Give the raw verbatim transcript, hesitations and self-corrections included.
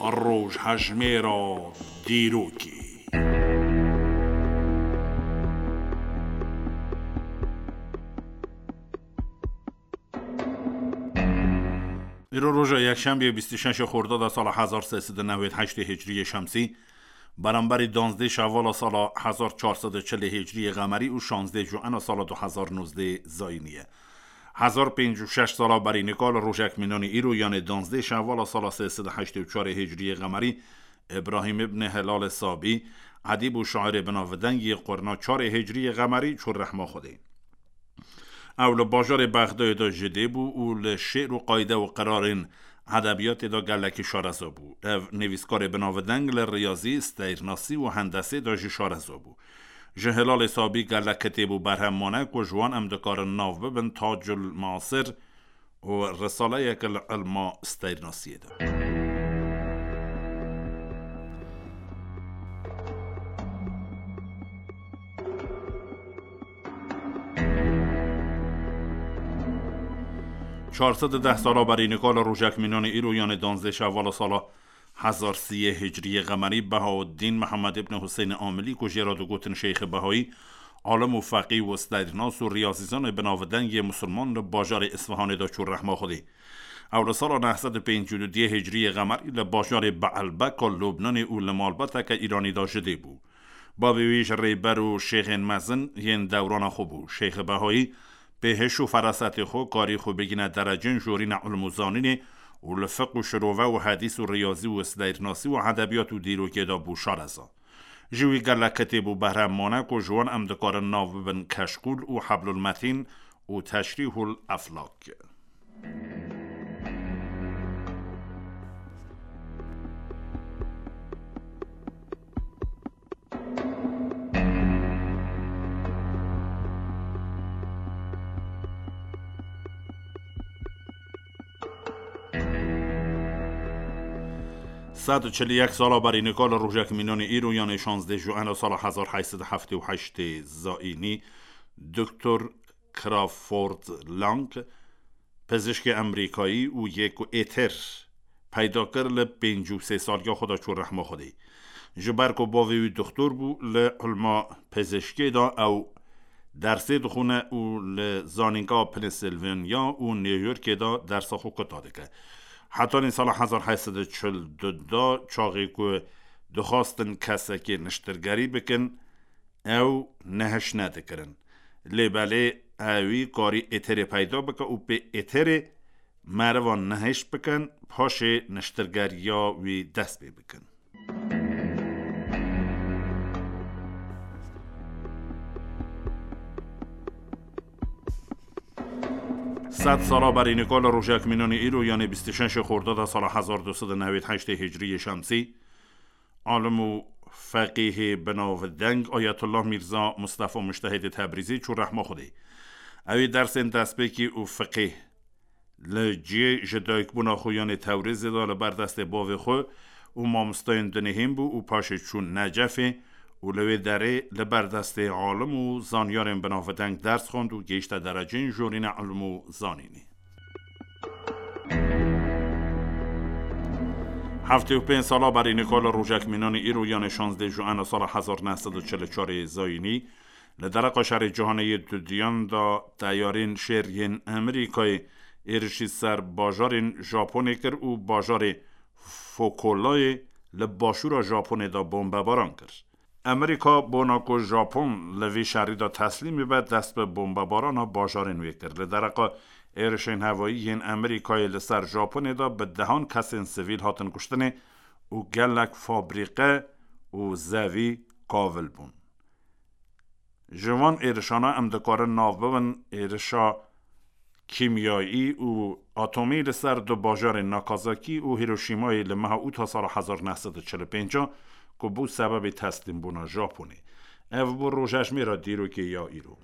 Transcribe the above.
Rojhejmêra dîrokê. Îro roja yekşembiye bîst û şeş Xordada sala hezar sê sed û newêd heştê Hicriyê Şemsî, beramberî danzdê Şevala sala hezar çar sed û çil Hicriyê Qemerî û şanzdê Juena sala du hezar nozdê Zayînî ye. Hezar pêncî û şeş sala berî nika li rojek mînanî îro, yanê danzdê Şevala sala sê sed û heştê û çar Hicriyê Qemerî, Îbrahîm îbnê Hilalê Sabî, edîb û şairê binavdeng yê qurna çarê Hicriyê Qemerî çû rehma Xwedê. Ew li bajarê Bexdayê de ji dê bû û li şê'r û qayde û qirarên edebiyatê de gelekî şareza bû. Ev nivîskarê binavdeng li riyazî, steyrnasî û hendesê de jî şareza bû. Ji Hilalê Sabî gelek kitêb û berhem mane ku ji wan em dikarin nav bibin Tacul Masir û risaleyek li ilma steyrnasiyê de. Çar sed û deh sala berî nika li rojek mînanê îro, yanê danzdê Şevala sala hezar siyê Hicriyê Qemerî, Behauddîn Mihemed îbn Huseynê Amilî ku jê re digotin Şeyxê Behayî, alim û feqî û steyrnas û riyazîzanê binavdeng yê misilman li bajarê Isfihanê de çû rehma Xwedê. Ew li sala neh sed û pêncî û duyê Hicriyê Qemerî li bajarê Beelbeka Lubnanê û li malbateke Îranî de ji dê bû. Bavê wî ji rêber û şêxên mezin yên dewrana xwe bû. Şêxê Behayî pê hiş û ferasetê xwe karî xwe bigîne derecên jorîna ilm û zanînê û li fiq û şirove û hedîs û riyazî û steyrnasî û edebiyat û dîrokê de bû şareza. Ji wî gelek kitêb û berhem mane ku ji wan em dikarin nav bibin Keşkûl û Heblul Metîn û Teşrîhul Eflak. Sed û çil û yek sala berî nika li rojek mînanê îro, yanê şanzdeh Juena sala hezar heyt sed û heftê û heştê Zayînî, Doktor Crawford Lang, pizişkê Amerîkayî û yê ku êtir peyda kir, li pêncî û sê saliya xwe de çû rehma Xwedê. Ji ber ku bavê wî doktor bû, li ilma pizişkê de ew dersê dixwîne û li Zanîngeha Pennsylvania û New Yorkê de dersa xwe kuta dike. Hetanî sala hezar heyt sed û çil û du de, çaxê ku dixwastin kesekê niştirgerî bikin, ew nehiş nedikirin. Lê belê ewî karî êterê peyda bike û pê êterê merivan nehiş bikin, paşê niştirgeriya wî dest pê bikin. Sed sala berî nika li rojek mînanê îro, yanê bîst û şeş Xordada sala hezar du sed û newêd heştê Hicriyê Şemsî, alim û feqîhê binavdeng Ayetullah Mîrza Mustafa Mujtehidê Tebrîzî çû rehma Xwedê. Ew ê dersên destpêkî û fiqê li cihê ji dayikbûna xwe yanê Tewrêzê de li ber destê bavê xwe û mamosteyên dinê hîn bû û paşê çû Necefê û li wê derê li ber destê alim û zanyarên binavdeng ders xwend û gihîşte dereceyên jorîne ilm û zanînê. Heftê û pênc sala berî nika li rojek mînanê îro, yanê şanzdeh Juena sala hezar neh sed û çil û çarê Zayînî, li dereqa şerê cîhanê yê dudiyan de teyarên şêr yên Amerîkayê êrişî ser bajarên Japonê kir û bajarê Fokolayê li başûra Japonê de bombebaran kir. Amerîka bona ku Japon li vî şerî de teslîm bibe, dest bi bombebarana bajarên wê kir. Li dereqa êrişên hevayî yên Amerîkayê li ser Japonê de bi dehan kesên sivîl hatin kuştinê û gelek fabrîqe û zevî kavil bûn. Ji van êrişana em dikarin nav bibin êrişa kîmyayî û atomî li ser du bajarên Nakazakî û Hiroşîmayê li meha Ûta sala hezar neh sed û çil û pênc, ku bû sebebê teslîmbûna Japonê. Ev bû rojejmêra dîrokê ya îro.